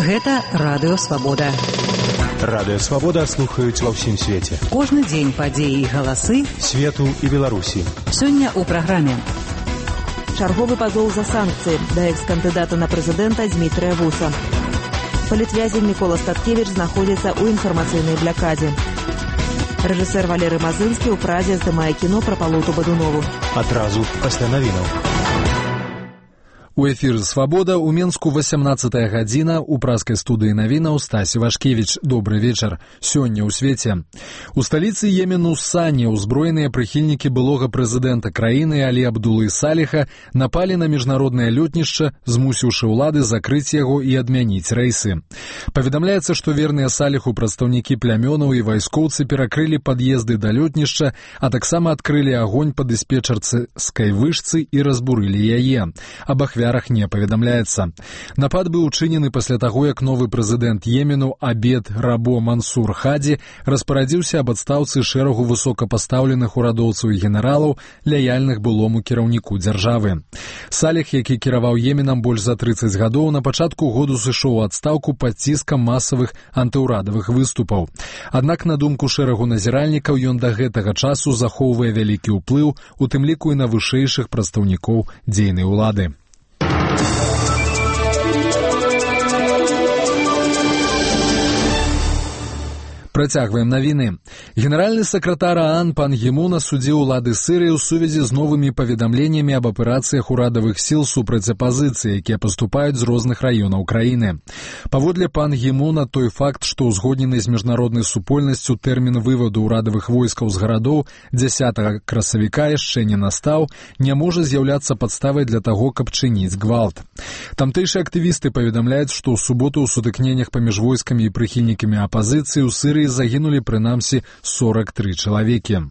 Гэта Радыё Свабода. Радыё Свабода слухаюць ва ўсім свеце. Кожны дзень падзеі і галасы свету і Беларусі. Сёння ў праграме. Чарговы пазоў за санкцыі да экс-кандыдата на прэзідэнта Дзмітрыя Вуса. Палітвязень Мікола Статкевіч знаходзіцца ў інфармацыйнай блякадзе. Рэжысэр Валерый Мазынскі ў Празе здымае кіно пра Палоту Бадунову. Адразу пасля навінаў. У эфіры «Свабода» у Менску 18-я гадзіна, у празкай студыі навінаў Стасі Вашкевіч. Добры вечар. Сёння ў свеце. У сталіцы Йемену Сане ўзброеныя прыхільнікі былога прэзідэнта краіны Алі Абдулы Саліха напалі на міжнароднае лётнішча, змусіўшы ўлады закрыць яго і адмяніць рэйсы. Паведамляецца, што верныя Саліху прадстаўнікі плямёнаў і вайскоўцы перакрылі пад'езды да лётнішча, а таксама адкрылі агонь па дыспетчарскай вышцы і разбурылі яе. Аб ахвярах не паведамляецца. Напад быў учынены пасля таго, як новы прэзідэнт Йемену Абед Рабо Мансур Хаді распарадзіўся аб адстаўцы шэрагу высокапастаўленых урадоўцаў і генералаў, лаяльных былому кіраўніку дзяржавы. Саліх, які кіраваў Йеменам больш за 30 гадоў, на пачатку году сышоў у адстаўку пад ціскам масавых антыўрадавых выступаў. Аднак, на думку шэрагу назіральнікаў, ён да гэтага часу захоўвае вялікі ўплыў, у тым ліку і на вышэйшых прадстаўнікоў дзейнай улады. Працягваем навіны. Генеральны сакратар ААН пан Гі Мун асудзіў улады Сірыі ў сувязі з новымі паведамленнямі аб аперацыях урадавых сіл супраць апазіцыі, якія паступаюць з розных раёнаў краіны. Паводле пан Гі Муна, той факт, што ўзгоднены з міжнароднай супольнасцю тэрмін вываду ўрадавых войскаў з гарадоў 10 красавіка яшчэ не настаў, не можа з'яўляцца падставай для таго, каб чыніць гвалт. Тамтэйшыя актывісты паведамляюць, што ў суботу ў сутыкненнях паміж войскамі і прыхільнікамі апазіцыі ў Сірыі загінулі прынамсі 43 чалавекі.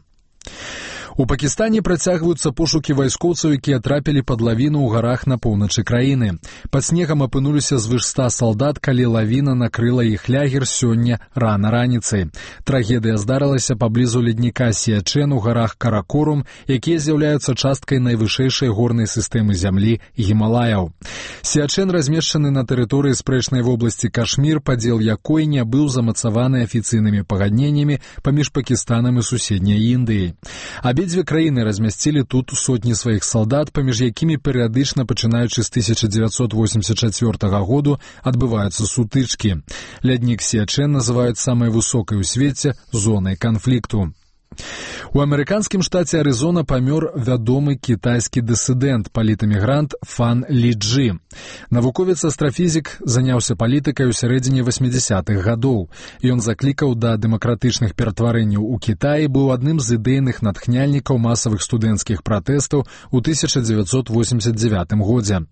У Пакістане працягваюцца пошукі вайскоўцаў, якія трапілі пад лавіну ў гарах на поўначы краіны. Пад снегам апынуліся звыш 100 салдат, калі лавіна накрыла іх лягер сёння рана раніцай. Трагедыя здарылася паблізу ледніка Сіячэн у гарах Каракорум, якія з'яўляюцца часткай найвышэйшай горнай сістэмы зямлі Гімалаяў. Сіячэн размешчаны на тэрыторыі спрэчнай вобласці Кашмір, падзел якой не быў замацаваны афіцыйнымі пагадненнямі паміж Пакістанам і суседняй Індыяй. Абедзве краіны размясцілі тут сотні сваіх салдат, паміж якімі перыядычна, пачынаючы з 1984 году, адбываюцца сутычкі. Ляднік Сіячэн называюць самай высокай у свеце зонай канфлікту. У амерыканскім штаце Арызона памёр вядомы кітайскі дысідэнт, палітэмігрант Фан Лі Джы. Навуковец-астрафізік заняўся палітыкай у сярэдзіне 80-х гадоў. Ён заклікаў да дэмакратычных ператварэнняў у Кітаі, быў адным з ідэйных натхняльнікаў масавых студэнцкіх пратэстаў у 1989 годзе.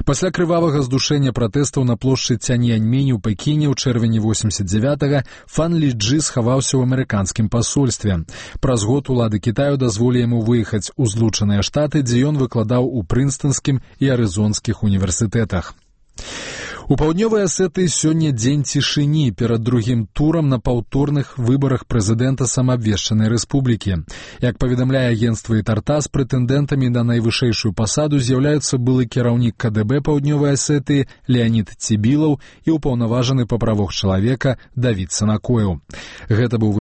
Пасля крывавага здушэння пратэстаў на плошчы Цяньяньмінь у Пекіне ў чэрвені 89-га Фан Лі Джы схаваўся ў амерыканскім пасольстве. Праз год улады Кітаю дазволілі яму выехаць у Злучаныя Штаты, дзе ён выкладаў у Прынстонскім і Арызонскіх універсітэтах. У паўднёвай Асетыі сёння дзень цішыні перад другім турам на паўторных выбарах прэзідэнта самаабвешчанай рэспублікі. Як паведамляе агенцтва Ітартас, прэтэндэнтамі на найвышэйшую пасаду з'яўляюцца былы кіраўнік КДБ паўднёвай Асетыі Леанід Цібілаў і ўпаўнаважаны па правах чалавека Давід Санакоеў. Гэта быў